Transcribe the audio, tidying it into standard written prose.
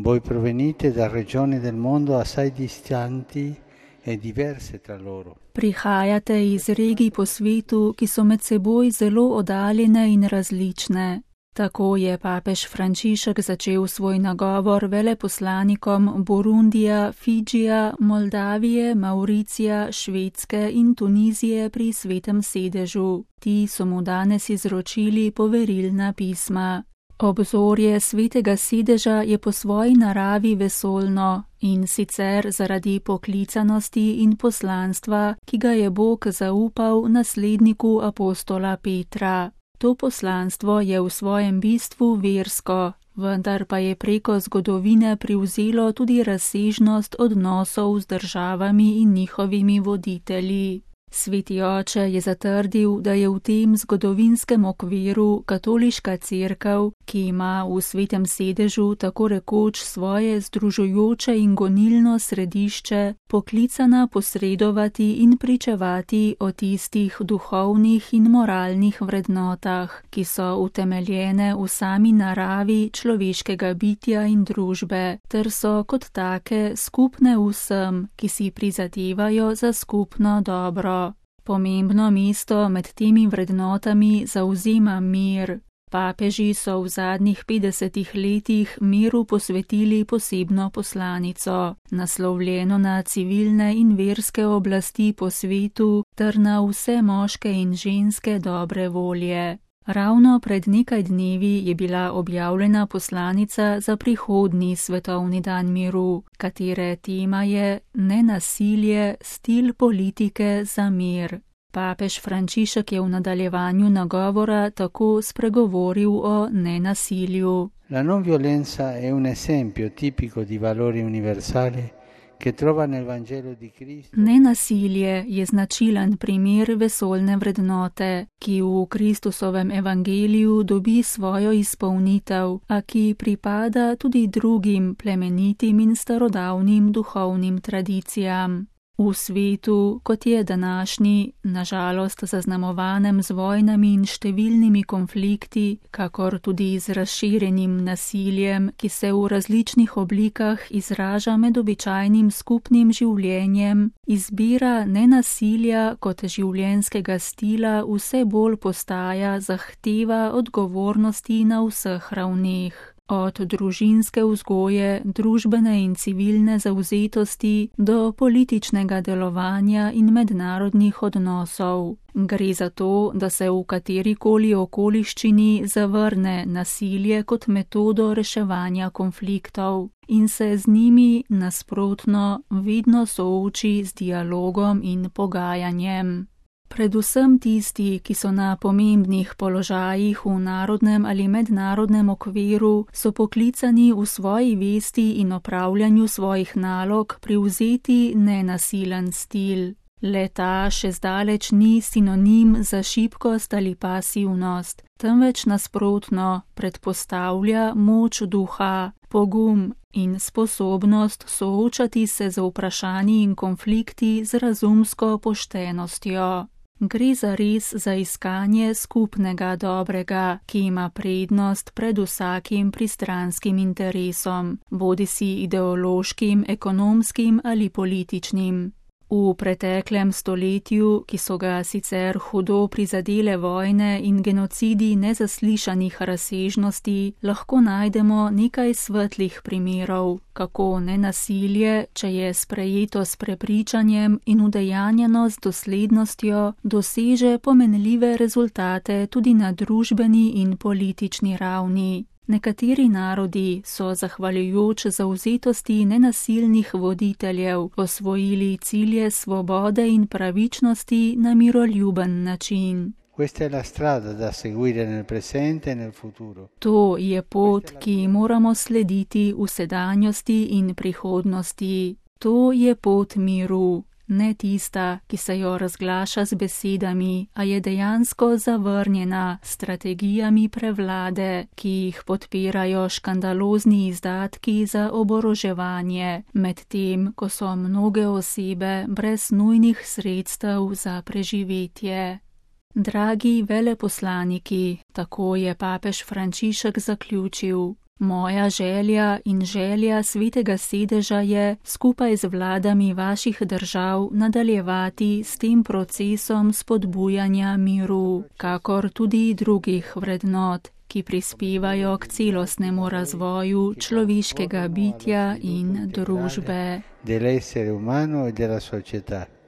Voi provenite da regioni del mondo assai distanti e diverse tra loro. Prihajate iz regij po svetu, ki so med seboj zelo oddaljene in različne. Tako je papež Frančišek začel svoj nagovor veleposlanikom Burundija, Fidžija, Moldavije, Mauricija, Švedske in Tunizije pri Svetem sedežu. Ti so mu danes izročili poverilna pisma. Obzorje Svetega sedeža je po svoji naravi vesoljno, in sicer zaradi poklicanosti in poslanstva, ki ga je Bog zaupal nasledniku apostola Petra. To poslanstvo je v svojem bistvu versko, vendar pa je preko zgodovine privzelo tudi razsežnost odnosov z državami in njihovimi voditelji. Sveti oče je zatrdil, da je v tem zgodovinskem okviru katoliška cerkev, ki ima v Svetem sedežu tako rekoč svoje združujoče in gonilno središče, poklicana posredovati in pričevati o tistih duhovnih in moralnih vrednotah, ki so utemeljene v sami naravi človeškega bitja in družbe, ter so kot take skupne vsem, ki si prizadevajo za skupno dobro. Pomembno mesto med temi vrednotami zavzema mir. Papeži so v zadnjih 50 letih miru posvetili posebno poslanico, naslovljeno na civilne in verske oblasti po svetu ter na vse moške in ženske dobre volje. Ravno pred nekaj dnevi je bila objavljena poslanica za prihodnji svetovni dan miru, katere tema je Nenasilje, stil politike za mir. Papež Frančišek je v nadaljevanju nagovora tako spregovoril o nenasilju. La non violenza è un esempio tipico di valori universali che trova nel Vangelo di Cristo. Nenasilje je značilen primer vesoljne vrednote, ki v Kristusovem evangeliju dobi svojo izpolnitev, a ki pripada tudi drugim plemenitim in starodavnim duhovnim tradicijam. V svetu, kot je današnji, nažalost zaznamovanem z vojnami in številnimi konflikti, kakor tudi z razširjenim nasiljem, ki se v različnih oblikah izraža med običajnim skupnim življenjem, izbira nenasilja kot življenjskega stila vse bolj postaja zahteva odgovornosti na vseh ravneh. Od družinske vzgoje, družbene in civilne zavzetosti do političnega delovanja in mednarodnih odnosov. Gre za to, da se v katerikoli okoliščini zavrne nasilje kot metodo reševanja konfliktov in se z njimi nasprotno vedno sooči z dialogom in pogajanjem. Predvsem tisti, ki so na pomembnih položajih v narodnem ali mednarodnem okviru, so poklicani v svoji vesti in opravljanju svojih nalog privzeti nenasilen stil. Le-ta še zdaleč ni sinonim za šibkost ali pasivnost, temveč nasprotno predpostavlja moč duha, pogum in sposobnost soočati se z vprašanji in konflikti z razumsko poštenostjo. Gre zares za iskanje skupnega dobrega, ki ima prednost pred vsakim pristranskim interesom, bodisi ideološkim, ekonomskim ali političnim. V preteklem stoletju, ki so ga sicer hudo prizadele vojne in genocidi nezaslišanih razsežnosti, lahko najdemo nekaj svetlih primerov, kako nenasilje, če je sprejeto s prepričanjem in udejanjeno z doslednostjo, doseže pomenljive rezultate tudi na družbeni in politični ravni. Nekateri narodi so, zahvaljujoč zavzetosti nenasilnih voditeljev, osvojili cilje svobode in pravičnosti na miroljuben način. To je pot, ki moramo slediti v sedanjosti in prihodnosti. To je pot miru. Ne tista, ki se jo razglaša z besedami, a je dejansko zavrnjena s strategijami prevlade, ki jih podpirajo škandalozni izdatki za oboroževanje, medtem ko so mnoge osebe brez nujnih sredstev za preživetje. Dragi veleposlaniki, tako je papež Frančišek zaključil, Moja želja in želja Svetega sedeža je skupaj z vladami vaših držav nadaljevati s tem procesom spodbujanja miru, kakor tudi drugih vrednot, ki prispevajo k celostnemu razvoju človeškega bitja in družbe. Dell'essere umano e della società.